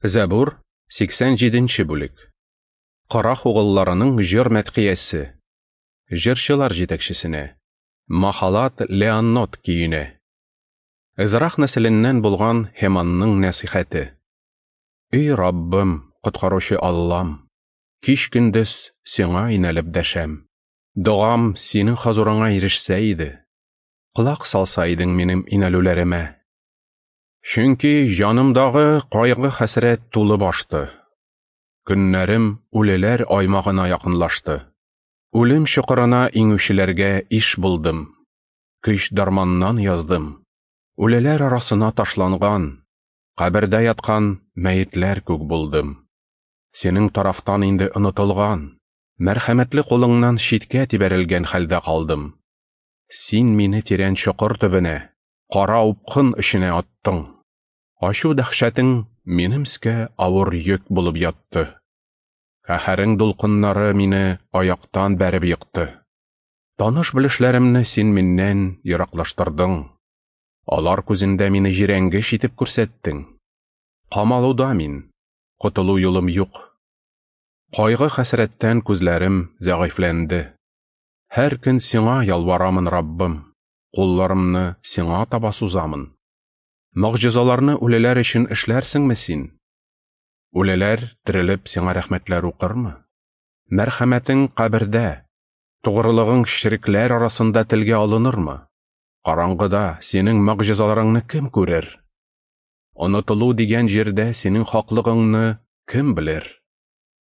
Зәбур, 87 нче бүлек. Карах угылларының җыр мәдхиясе. Җырчылар җитәкчесенә. Махалат Леоннот көенә. Эзрах нәселеннән булган Һеманның нәсыйхәте. Эй, Раббым, коткаручы Аллам, кич-көндез сиңа инәлеп дәшәм. Догам синең хозурыңа ирешсә иде. Колак салса идең минем инәлүләремә. Чөнки җанымдагы кайгы-хәсрәт тулып ашты. Көннәрем үлеләр аймагына якынлашты. Үлем чокырына иңүчеләргә иш булдым. Көч-дарманнан яздым. Үлеләр арасына ташланган, кабердә яткан мәетләр күк булдым. Синең тарафтан инде онытылган, мәрхәмәтле кулыңнан читкә тибәрелгән хәлдә калдым. Син мине тирән чокыр төбенә, кара упкын эченә аттың. Ачу дәһшәтең минем өскә авыр йөк булып ятты. Каһәрең дулкыннары мине аяктан бәреп екты. Таныш-белешләремне син миннән ераклаштырдың. Алар күзендә мине җирәнгеч итеп күрсәттең. Камалуда мин, котылу юлым юк. Кайгы-хәсрәттән күзләрем зәгыйфьләнде. Һәр көн сиңа ялварамын, Раббым, кулларымны сиңа таба сузамын. Могҗизаларны үлеләр өчен эшләрсеңме син? Үлеләр терелеп сиңа рәхмәтләр укырмы? Мәрхәмәтең кабердә, тугрылыгың черекләр арасында телгә алынырмы? Караңгыда синең могҗизаларыңны кем күрер? Онытылу дигән җирдә синең хаклыгыңны кем белер?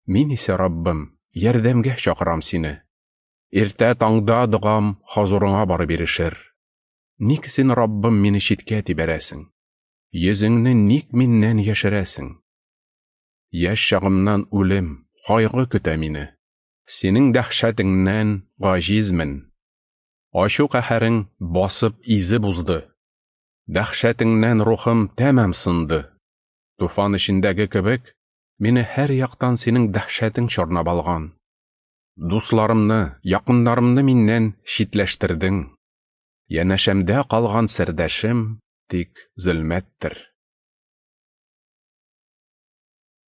Мин исә, Раббым, ярдәмгә чакырам сине. Иртә таңда догам хозурыңа барып ирешер. Ник син, Раббым, мине читкә тибәрәсең? Йөзеңне ник миннән яшерәсең? Яшь чагымнан үлем, кайгы көтә мине. Синең дәһшәтеңнән гаҗизмен. Ачу каһәрең басып изеп узды. Дәһшәтеңнән рухым тәмам сынды. Туфан эчендәге кебек, мине һәр яктан синең дәһшәтең чорнап алган. Дусларымны, якыннарымны миннән читләштердең. Янәшәмдә калган сердәшем тик зөлмәттер.